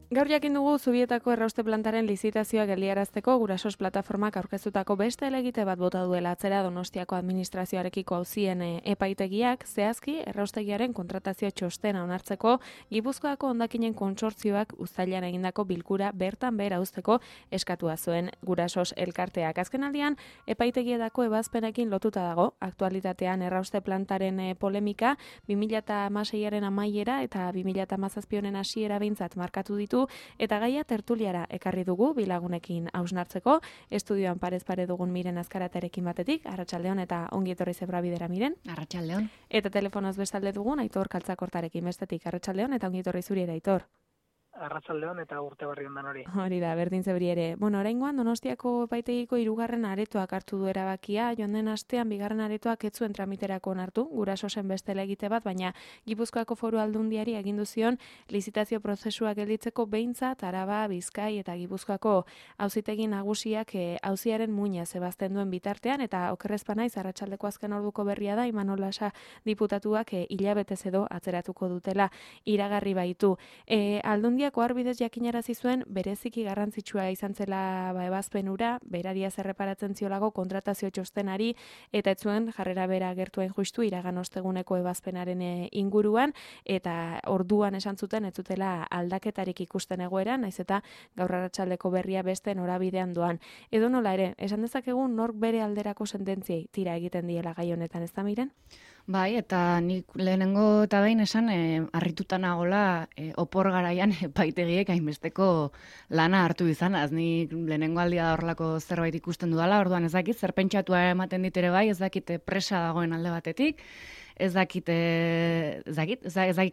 Gaur jakin dugu Zubietako errauste plantaren lizitazioa geldiarazteko Gurasos plataformak aurkeztutako beste helegite bat bota duela atzera Donostiako administrazioarekiko auzien epaitegiak, zehazki erraustegiaren kontratazio txostena onartzeko Gipuzkoako hondakinen kontsortzioak uztailean egindako bilkura bertan behera uzteko eskatua zuen Gurasos elkarteak. Azkenaldian epaitegietako ebazpenekin lotuta dago aktualitatean errauste plantaren polemika 2016aren amaiera eta 2017 hasiera behintzat markatu ditu. Eta gaia tertuliara ekarri dugu bilagunekin hausnartzeko, estudioan parez pare dugun Miren Azkaratarekin batetik, arratsaldeon eta ongi etorri Zebrabidera Miren. Arratsaldeon. Eta telefonoz bestalde dugun Aitor Kaltzakortarekin bestetik, arratsaldeon eta ongi etorri zuri ere Aitor. Arratsaldeon eta urte berri ondan hori. Hori da, berdin zebri ere. Oraingoan Donostiako epaitegiko 3. aretoak hartu du erabakia, joan den astean 2. aretoak ez zuen tramiterako onartu, Gurasosen beste helegite bat, baina Gipuzkoako Foru Aldundiari agindu zion lizitazio prozesua gelditzeko behintzat Araba, Bizkai eta Gipuzkoako auzitegi nagusiak auziaren muina zebazten duen bitartean, eta okerrezpa naiz arratsaldeko azken orduko berria da Imanol Lasa diputatuak hilabetez edo atzeratuko dutela iragarri baitu. Aldundia Oharbidez jakinarazi zuen bereziki garrantzitsua izan zela ebazpen hura, berariaz erreparatzen ziolago kontratazio txostenari eta ez zuen jarrera bera agertuen justu iragan osteguneko ebazpenaren inguruan, eta orduan esan zuten ez zutela aldaketarik ikusten egoeran, naiz eta gaur arratsaldeko berria beste norabidean doan. Edo nola ere, esan dezakegu nork bere alderako sententziei tira egiten diela gai honetan, ez da Miren? Bai, eta nik lehenengo eta behin esan harrituta nagola opor garaian epaitegiek hainbesteko lana hartu izanaz. Nik lehenengo aldia da horrelako zerbait ikusten dudala, orduan ez dakit, zer pentsatua ematen dit ere bai, ez dakit presa dagoen alde batetik, ez dakit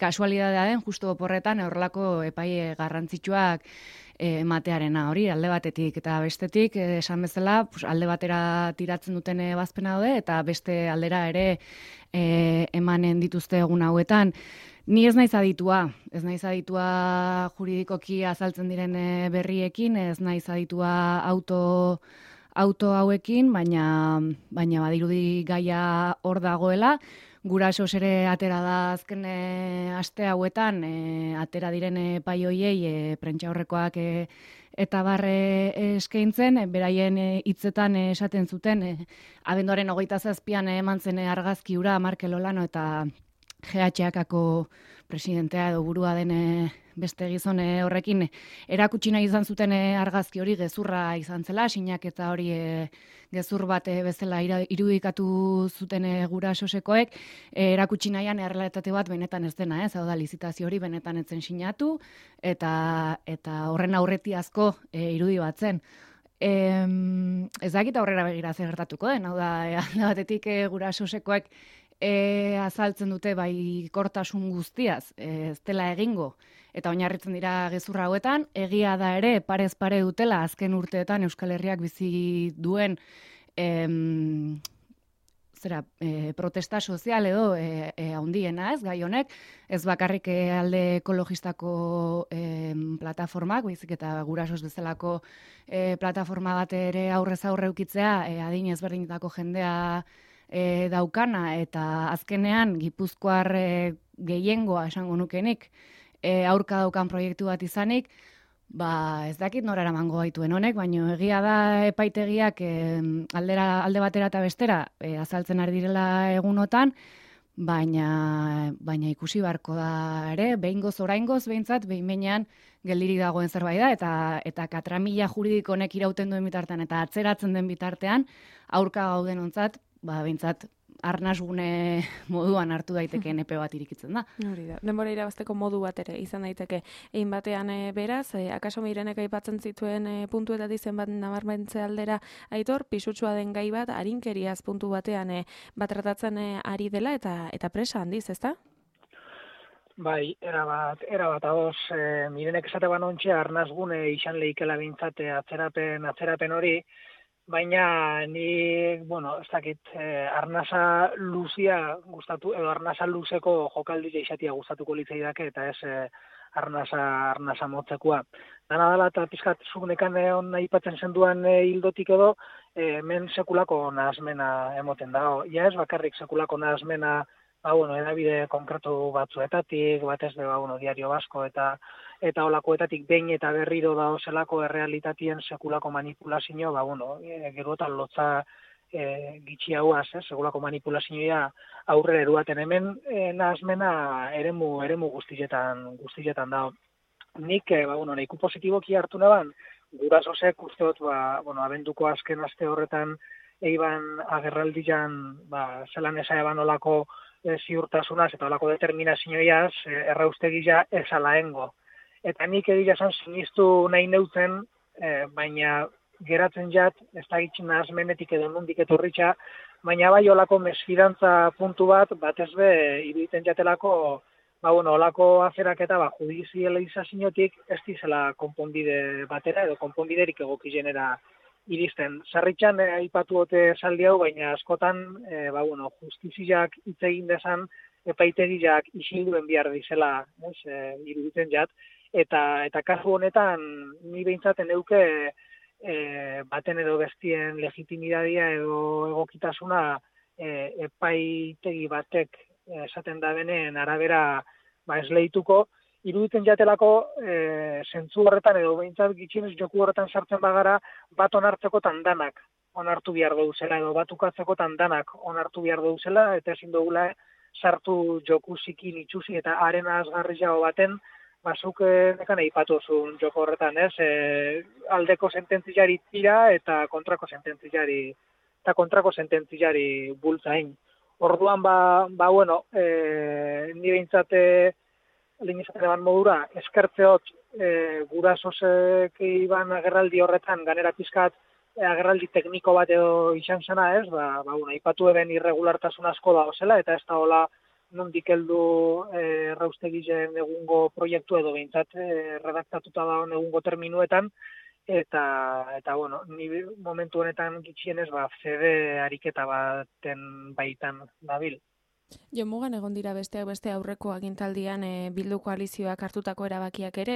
kasualidadea den, justu oporretan horrelako epai garrantzitsuak ematearena hori, alde batetik eta bestetik, esan bezala, alde batera tiratzen duten ebazpena daude, eta beste aldera ere emanen dituzte egun hauetan. Ni ez naiz aditua juridikoki azaltzen diren berriekin, ez naiz aditua auto hauekin, baina badirudi gaia hor dagoela. Gurasos ere atera da azken aste hauetan, atera diren epai hoiei prentsaurrekoak eta barre eskaintzen, beraien hitzetan esaten zuten, abenduaren 27an eman zen argazki hura Markel Olano eta GHKako presidentea edo burua den beste gizon horrekin erakutsi nahi izan zuten argazki hori gezurra izan zela, sinaketa hori gezur bat bezala irudikatu zuten gurasosekoek, erakutsi nahian errealitate bat benetan ez dena, hau da lizitazio hori benetan ez zen sinatu, eta horren aurretiazko irudi bat zen. Ez dakit aurrera begira zer gertatuko den, hau da alde batetik gurasosekoek azaltzen dute bai kortasun guztiaz, ez dela egingo, eta oinarritzen dira gezurra hauetan, egia da ere parez pare dutela azken urteetan Euskal Herriak bizi duen protesta sozial edo handiena ez, gai honek, ez bakarrik alde ekologistako plataformak, baizik eta Gurasos bezalako plataforma bat ere aurrez aurre ukitzea, adin ezberdinetako jendea daukana, eta azkenean Gipuzkoar gehiengoa esango nukenik aurka daukan proiektu bat izanik, ez dakit nora eramango gaituen honek, baina egia da epaitegiak alde batera eta bestera azaltzen ari direla egunotan, baina ikusi beharko da ere, behingoz oraingoz behintzat, behin-behinean geldirik dagoen zerbait da, eta katramila juridiko honek irauten duen bitartean, eta atzeratzen den bitartean, aurka gauden ontzat, behintzat arnasgune moduan hartu daitekeen epe bat irikitzen da. Hori da, denbora irabazteko modu bat ere izan daiteke. Egin batean beraz, akaso Mirenek aipatzen zituen puntuetatik zenbat nabarmentze aldera Aitor, pisutxua den gai bat, arinkeriaz puntu batean bat tratatzen ari dela eta presa handiz, ezta? Bai, erabat ados, Mirenek esate banontxe arnasgune izan lehikela bintzat atzerapen hori, baina ni, ez dakit, arnasa luzia gustatu, edo arnasa luzeko jokaldi izatia gustatuko litzaidake, eta ez arnasa motzekoa. Dana dela, eta pizkat zunekan aipatzen zenduan hildotik edo, men sekulako nahazmena emoten dago. Ja ez bakarrik sekulako nahazmena edabide konkretu batzuetatik, batez be, Diario Basko eta olakoetatik behin eta berriro da zelako errealitatien sekulako manipulazio, gerotan lotza gitxi hauaz, sekulako manipulazioa aurrera eruaten hemen, nahazmena eremu guztietan da. Nik, nahiko positiboki hartu naban, gurasosek usteot, abenduko azken aste horretan eiban agerraldian, zelan eza eban olako ziurtasunaz eta olako determinazioiaz, erraustegila esalaengo. Eta nik egia zan sinistu nahi neutzen, baina geratzen jat, ez da gitxin nahazmenetik edo nondik etorritxa, baina bai olako mesfidantza puntu batez be, iruditzen jatelako, olako aferak eta judizializaziotik ez dizela konponbide batera edo konponbiderik egokizenera iristen. Sarritxan aipatu ote saldi hau, baina askotan justiziak hitz egin dezan epaitegiak isilduen behar dizela, iruditzen jat, eta kasu honetan ni behintzaten euke baten edo bestien legitimitatea edo egokitasuna epaitegi batek esaten da benen arabera esleituko, iruditzen jatelako zentzu horretan edo behintzat gitxinez joku horretan sartzen bagara bat onartzeko tandanak onartu behar duzela edo bat ukatzeko tandanak onartu behar duzela eta ezin dugula sartu joku zikin itxusi eta haren azgarriago baten bazuk nekan eipatuzun joko horretan, aldeko sententziari tira eta kontrako sententziari bultzain. Orduan, ni behintzate lehizate ban modura, eskertzeot gurasosek iban agerraldi horretan, ganera pizkat agerraldi tekniko bat edo izan zena ez, aipatu eben irregulartasun asko da ozela, eta ez da hola nondik heldu erraustegizen egungo proiektu edo behintzat redaktatuta da egungo terminuetan, eta ni momentu honetan gitxienez fede ariketa baten baitan dabil. Jomugan egon dira beste aurreko agintaldian Bildu koalizioak hartutako erabakiak ere,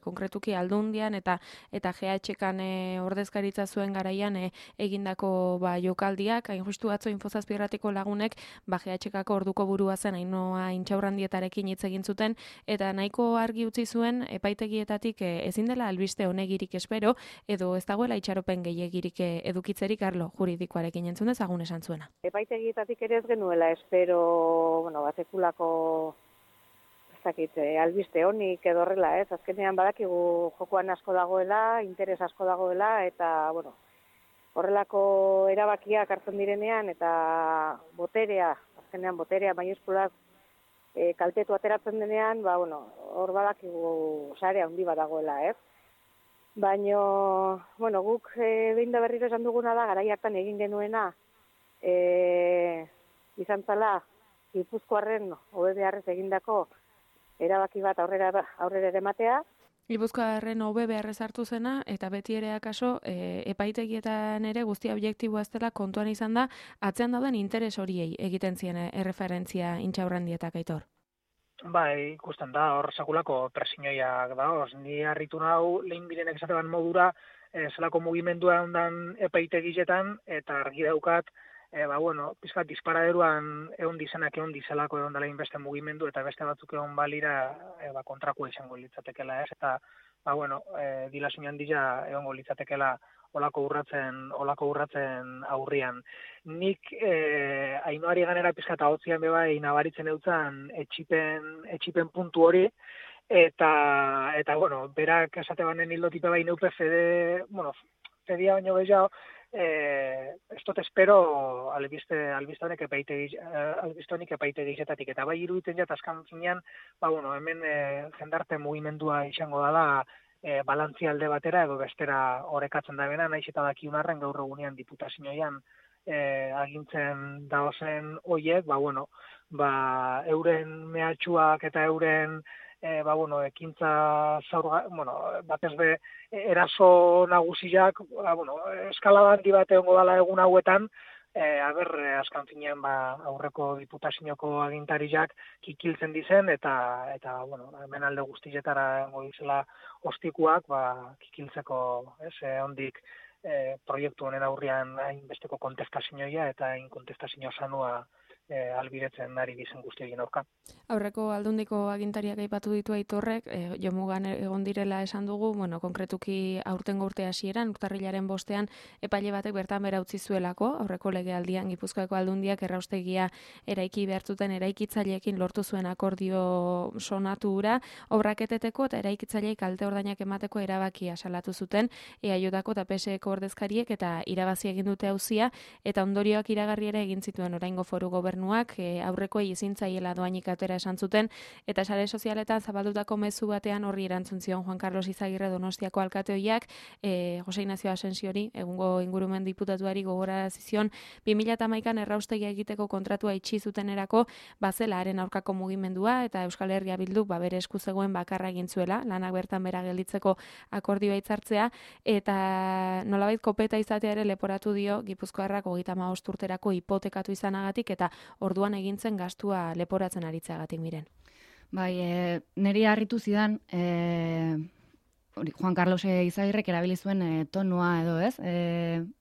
konkretuki Aldundian eta GHK-an ordezkaritza zuen garaian egindako jokaldiak, hain justu atzo Infozazpirratiko lagunek GHK-ko orduko burua zen Ainhoa Intxaurrandietarekin hitz egin zuten eta nahiko argi utzi zuen epaitegietatik ezin dela albiste honegirik espero edo ez dagoela itxaropen gehiegirik edukitzerik arlo juridikoarekin entzun dezagun esan zuena. Epaitegietatik ere ez genuela espero sekulako albiste honik edo horrela, ez? Azkenean badakigu jokoan asko dagoela, interes asko dagoela, eta, horrelako erabakiak hartzen direnean, eta azkenean boterea maiuskulak kaltetu ateratzen denean, hor badakigu sare handi bat dagoela, ez? Baina, guk behin da berriro esan duguna da, garai hartan egin genuena, izan zala, Gipuzkoarren OBBRrez egindako erabaki bat aurrera ere matea. Gipuzkoarren OBBRrez hartu zena, eta beti ere akaso epaitegietan ere guztia objektiboa ez dela kontuan izan da, atzean dauden interes horiei egiten zien erreferentzia Intxaurrandietak Aitor. Ikusten da, hor sakulako presinioiak da, ni harritu nau lehin birenek esateban modura, zelako mugimendua ondan epaitegietan, eta argi daukat, pizkat disparaderuan egon dizenak egon dizelako egon dela inbeste mugimendu eta beste batzuk egon balira kontrakoa izango litzatekela ez, eta dilazio handia egongo litzatekela olako urratzen aurrian. Nik Ainhoari ganera pizkat ahotzian bebai nabaritzen eutzan etxipen puntu hori, eta berak esate banen hildotipe bai neupe fedia baino gehiago, ez dut espero albiste honek epaitegizetatik, eta bai iruditzen jat azkan zinean, hemen jendarte mugimendua izango dela balantzi alde batera edo bestera orekatzen da bena, naiz eta dakiunarren gaur egunean diputazioan agintzen daozen hoiek, euren mehatxuak eta euren ekintza batez be eraso nagusiak, eskalada handi bat egongo dela egun hauetan, azkan finean aurreko diputazioko agintariak kikiltzen dizen, eta hemen alde guztietara egongo dizela ostikuak, kikiltzeko, ondik proiektu honen aurrian hainbesteko kontestazioa eta hain kontestazio sanua albiretzen ari dizen guztiekin aurka. Aurreko aldundiko agintariak aipatu ditu Aitorrek, jomugan egon direla esan dugu, bueno, konkretuki aurtengo urte hasieran, urtarrilaren 5ean epaile batek bertan bera utzi zuelako, aurreko legealdian Gipuzkoako aldundiak erraustegia eraiki behartzuten eraikitzaileekin lortu zuen akordio sonatu hura, obrak eteteko eta eraikitzaileei kalte ordainak emateko erabakia salatu zuten, EAJko eta PSeko ordezkariek eta irabazi egin dute auzia eta ondorioak iragarri ere egin zituen oraingo foru gobernuak, aurrekoei ezin zaiela dohainik atera esan zuten, eta sare sozialetan zabaldutako mezu batean horri erantzun zion Juan Carlos Izagirre Donostiako alkateoiak, Jose Ignacio Asensiori, egungo ingurumen diputatuari gogorarazi zion 2011an erraustegia egiteko kontratua itxi zutenerako bazela haren aurkako mugimendua eta Euskal Herria Bilduk bere esku zegoen bakarra egin zuela, lanak bertan bera gelditzeko akordioa hitzartzea, eta nolabait kopeta izatea ere leporatu dio Gipuzkoarrak 35 urterako hipotekatu izanagatik eta orduan egintzen gastua leporatzen aritzeagatik miren. Bai, niri harritu zidan, Juan Carlos Izagirrek erabili zuen tonua edo, ez?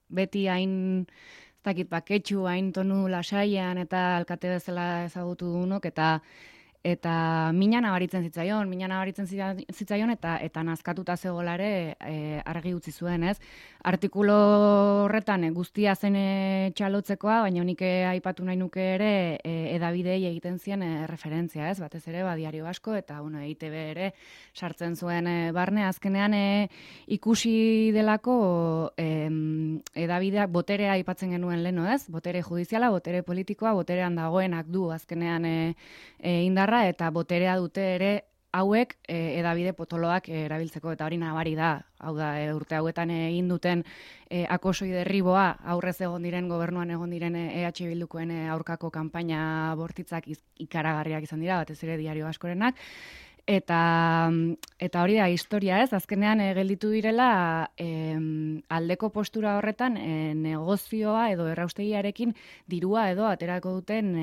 Beti hain, ez dakit, baketxu, hain tonu lasaian eta alkate bezala ezagutu dunok, eta mina nabaritzen zitzaion eta nazkatuta zegoelare argi utzi zuen, ez? Artikulo horretan guztia zen txalotzekoa, baina nik aipatu nahi nuke ere edabidei egiten zien referentzia, ez? Batez ere, Diario Vasco eta EITB ere sartzen zuen barne. Azkenean ikusi delako edabideak boterea aipatzen genuen leno, ez? Botere judiziala, botere politikoa, boterean dagoenak du azkenean indarra, eta boterea dute ere hauek edabide potoloak erabiltzeko, eta hori nabari da, hau da, urte hauetan egin duten akosoi derriboa, aurrez egon diren, gobernuan egon diren EH Bildukoen aurkako kanpaina bortitzak ikaragarriak izan dira, batez ere Diario Askorenak, eta hori da historia, ez? Azkenean gelditu direla aldeko postura horretan negozioa edo erraustegiarekin dirua edo aterako duten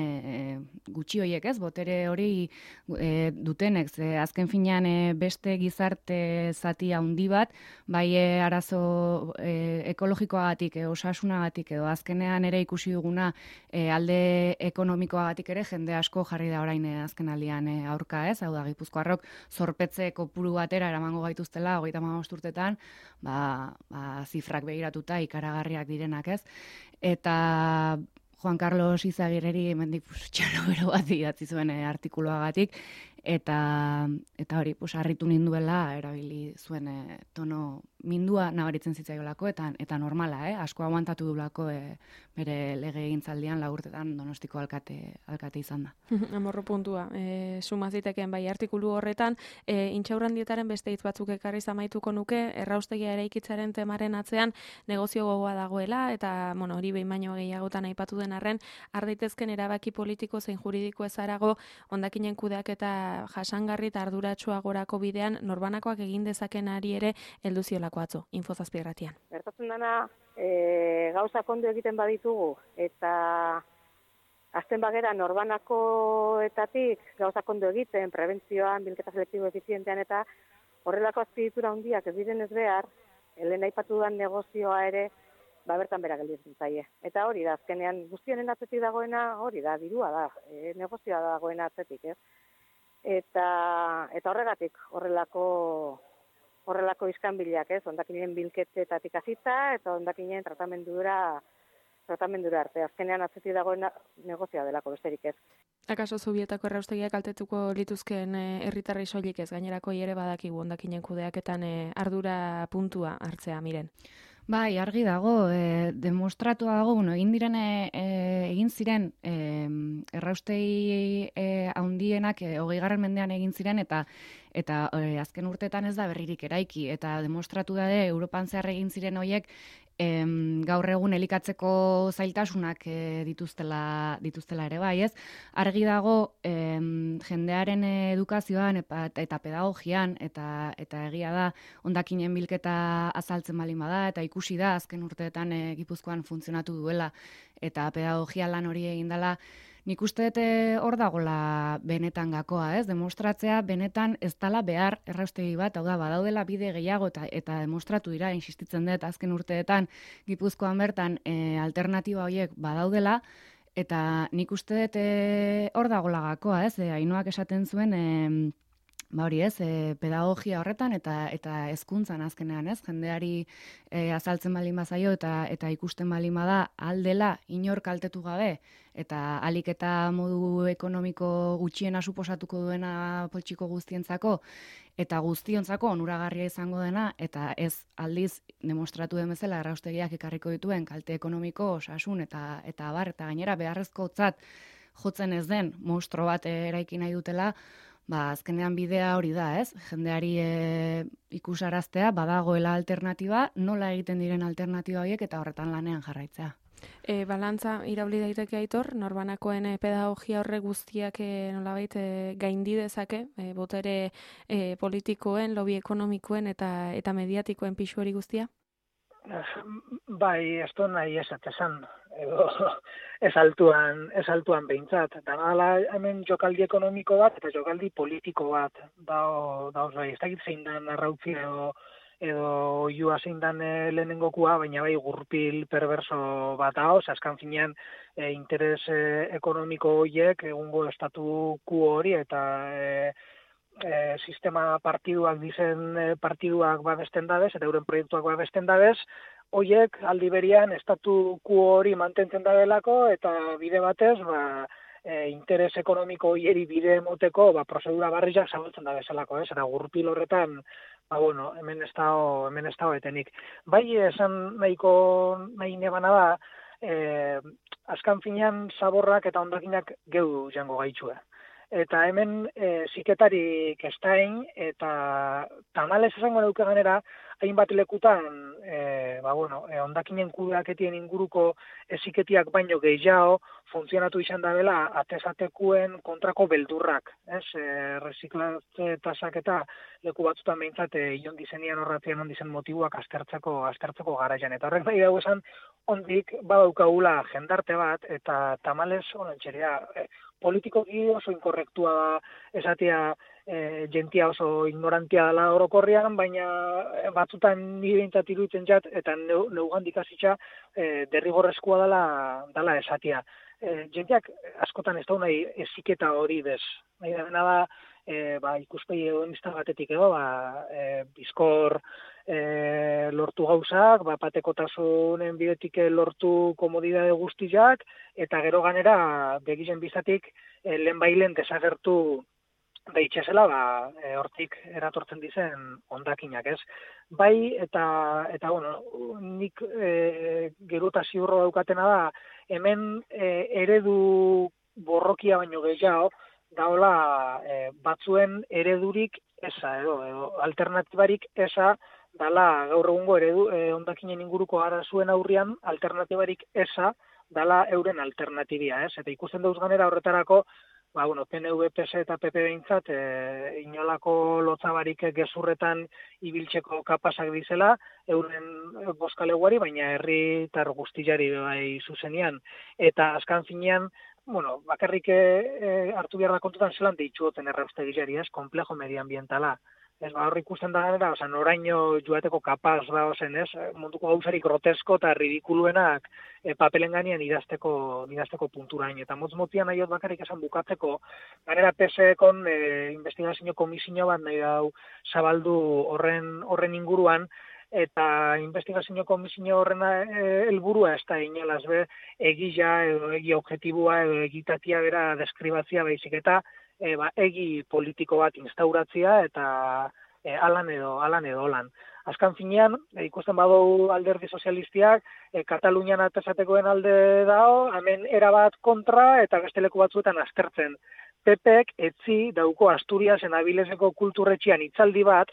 gutxi hoiek, ez? Botere hori dutenek, azken finean beste gizarte zati handi bat, bai arazo ekologikoagatik, osasunagatik edo azkenean ere ikusi duguna alde ekonomikoagatik ere jende asko jarri da orain azkenaldian aurka, ez? Hau da, Gipuzkoarrok zorpetze kopuru batera eramango gaituztela 35 urtetan, zifrak begiratuta ikaragarriak direnak, ez? Eta Juan Carlos Izagirreri hemendik txalo bat idatzi zuen artikuluagatik, eta hori, harritu ninduela erabili zuen tono mindua nabaritzen zitzaiolako, eta normala, asko aguantatu dulako bere lege egintzaldian 4 urtetan Donostiko alkate izan da. Amorro puntua, sumaziteken bai artikulu horretan, intxaurrandietaren beste hitz batzuk ekarri zamaituko nuke, erraustegia eraikitzaren temaren atzean negozio gogoa dagoela, eta hori behin baino gehiagotan aipatu den arren, har daitezken erabaki politiko zein juridiko ezarago hondakinen kudeaketa jasangarri eta arduratsua gorako bidean norbanakoak egin dezakenari ere heldu ziolako atzo, Info7 irratian. Gertatzen dana, gauzak ondo egiten baditugu eta azten bagera norbanakoetatik gauzak ondo egiten, prebentzioan, bilketa selektibo efizientean eta horrelako azpiegitura handiak ez direnez behar, lehen aipatu dudan negozioa ere bertan bera gelditzen zaie. Eta hori da, azkenean guztionen atzetik dagoena hori da, dirua da, negozioa dagoena atzetik, ez? Eta horregatik horrelako iskanbilak, ez? Hondakinen bilketetatik hasita eta hondakinen tratamendura arte. Azkenean atzetik dagoena negozioa delako besterik, ez? Akaso Zubietako erraustegiak kaltetuko lituzkeen herritarrei soilik ez, gainerako ere badakigu hondakinen kudeaketan ardura puntua hartzea, miren. Bai, argi dago, demostratua dago, egin ziren erraustegi handienak 20. mendean egin ziren eta azken urteetan ez da berririk eraiki, eta demostratu da Europan zehar egin ziren horiek gaur egun elikatzeko zailtasunak dituztela ere bai, ez? Argi dago jendearen edukazioan eta pedagogian eta egia da hondakinen bilketa azaltzen baldin bada eta ikusi da azken urteetan Gipuzkoan funtzionatu duela eta pedagogia lan hori egin dela. Nik uste dut hor dagola benetan gakoa, ez? Demostratzea benetan ez dela behar erraustegi bat, hau da, badaudela bide gehiago eta demostratu dira, insistitzen dut azken urteetan Gipuzkoan bertan alternatiba horiek badaudela, Eta nik uste dut hor dagoela gakoa, ez? Ainhoak esaten zuen, ba hori ez, pedagogia horretan eta hezkuntzan azkenean, ez? Jendeari azaltzen baldin bazaio eta ikusten baldin bada aldela inor kaltetu gabe eta alik eta modu ekonomiko gutxiena suposatuko duena poltsiko guztientzako eta guztiontzako onuragarria izango dena eta ez aldiz demostratu den bezala erraustegiak ekarriko dituen kalte ekonomiko, osasun eta abar eta gainera beharrezkotzat jotzen ez den monstro bat eraiki nahi dutela. Ba, azkenean bidea hori da, ez? Jendeari ikusaraztea, badagoela alternatiba, nola egiten diren alternatiba horiek eta horretan lanean jarraitzea. Balantza irauli daiteke Aitor, norbanakoen pedagogia horre guztiak nolabait gaindi dezake, botere politikoen, lobby ekonomikoen eta mediatikoen pisu hori guztia? Bai, ez du nahi esan, edo ez altuan behintzat. Dala hemen jokaldi ekonomiko bat eta jokaldi politiko bat. Dauz bai, ez dakit zein dan arrautzi edo oiua zein dan lehenengokua, baina bai gurpil perverso bat dauz, azkan finean interes ekonomiko horiek egungo estatu kuo hori eta sistema partiduak dizen partiduak babesten dabez, eta euren proiektuak babesten dabez, hoiek aldi berian estatu kuo hori mantentzen dabelako, eta bide batez, interes ekonomiko hieri bide emoteko, prozedura barriak zabaltzen da bezalako, ez? Eta gurpil horretan, hemen ez dago etenik. Bai, esan nahi nebana da, azkan finean zaborrak eta hondakinak geu jango gaitxue. Eta hemen ziketarik estain, eta tamalez esango neuke ganera, hainbat lekutan, hondakinen kudeaketien inguruko ziketiak baino gehiago, funtzionatu izan da dela, atezatekuen kontrako beldurrak. Reziklatze tasak eta leku batzutan behintzat, ion dizenian horratzean ondizen motibuak aztertzeko garaian. Eta horrek nahi dago esan, ondik badaukagula jendarte bat, eta tamalez honantxeria, politikoki oso inkorrektua da esatea jentia oso ignorantia dela orokorrean, baina batzutan nire behintzat iruditzen jat, eta neugandik hasitza derrigorrezkoa dela esatea. Jentiak askotan ez da nahi eziketa hori bez. Nahi da ikuspegi hedonista batetik edo, bizkor lortu gauzak, patekotasunen bidetik lortu komodidade guztiak, eta gero ganera begizen bizatik lehenbailen desagertu daitxezela, hortik eratortzen dizen hondakinak, ez? Bai, eta nik geruta ziurro daukatena da, hemen eredu borrokia baino gehiago, daola batzuen eredurik eza, edo alternatibarik eza, dala gaur egungo eredu hondakinen inguruko arazuen aurrian alternatibarik eza dala euren alternatibia, ez? Eta ikusten dauz ganera horretarako, PNV, PS eta PP behintzat inolako lotzabarik gezurretan ibiltzeko kapasak dizela, euren boskaleguari, baina herritar guztiari bai zuzenian. Eta azkan finean, bakarrik hartu behar da kontutan zelan deitxuoten erraustegilari, ez? Komplejo medioambientala. Ez, hor ikusten da ganera, noraino joateko kapaz da ozen, ez? Munduko gauzarik grotesko eta ridikuluenak papelen ganean idazteko punturain. Eta motz-motian nahi bakarrik esan bukatzeko, ganera PSE-kon investigazio komisio bat nahi dau zabaldu horren inguruan, eta investigazio komisio horren helburua ez da inolaz be, egia edo egi objetibua edo egitatia bera deskribatzia baizik eta egi politiko bat instauratzia eta alan edo holan. Azkan finean, ikusten badu alderdi sozialistiak, Katalunian atesatekoen alde dao, hemen erabat kontra eta beste leku batzuetan aztertzen. PPek etzi dauko Asturiasen Abileseko kulturretxian hitzaldi bat,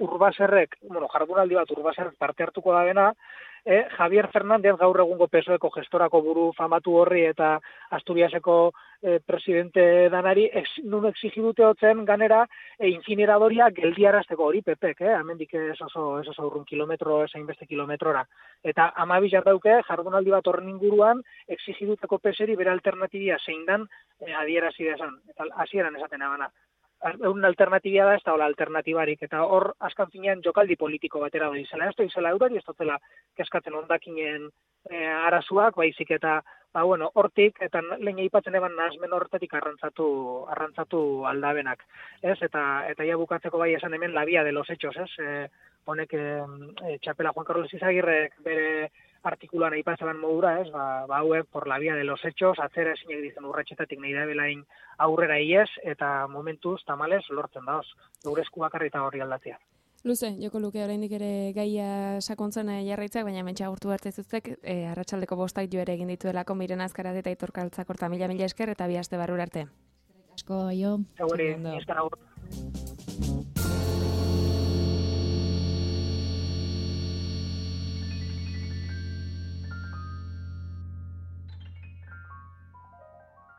Urbaserrek, jardunaldi bat Urbaserrek parte hartuko da dena, Javier Fernández gaur egungo PSOEko gestorako buru famatu horri eta Asturiaseko presidente danari nun exigidute hotzen ganera incineradoria geldiarazteko hori PPek, hemendik ez oso urrun kilometro, esain beste kilometrora. Eta 12 dauke jardunaldi bat horren inguruan exigiduteko PSeri bere alternatibia zein dan adierazi desan. Eta hasieran esaten abana. un alternatibia da, ez da hola alternatibarik, eta hor azkan finean jokaldi politiko batera da izela. Ez da izela eurari, ez dutela keskatzen ondakinen arazuak, baizik eta hortik, eta lehen aipatzen eban nahazmen horretatik arrantzatu aldabenak. Ez? Eta ja bukatzeko bai esan hemen la vía de los hechos, ez? Honek txapela Juan Carlos Izagirrek bere artikuluan aipatzen modura, ez? Hauek por la vía de los hechos, atzera esinek dizen urratxetatik nahi da belain aurrera iez, eta momentuz, tamales, lortzen daoz. Geure esku bakarri eta horri aldatzea. Luze, joko luke oraindik ere gaia sakontzen jarraitzak, baina mentxa agurtu hartzezuztek, arratsaldeko 5 jo ere egin dituelako Miren Azkarat eta Aitor Kaltzakorta, mila esker eta bi aste barrura arte. Asko, aio. Seguri, esker agur.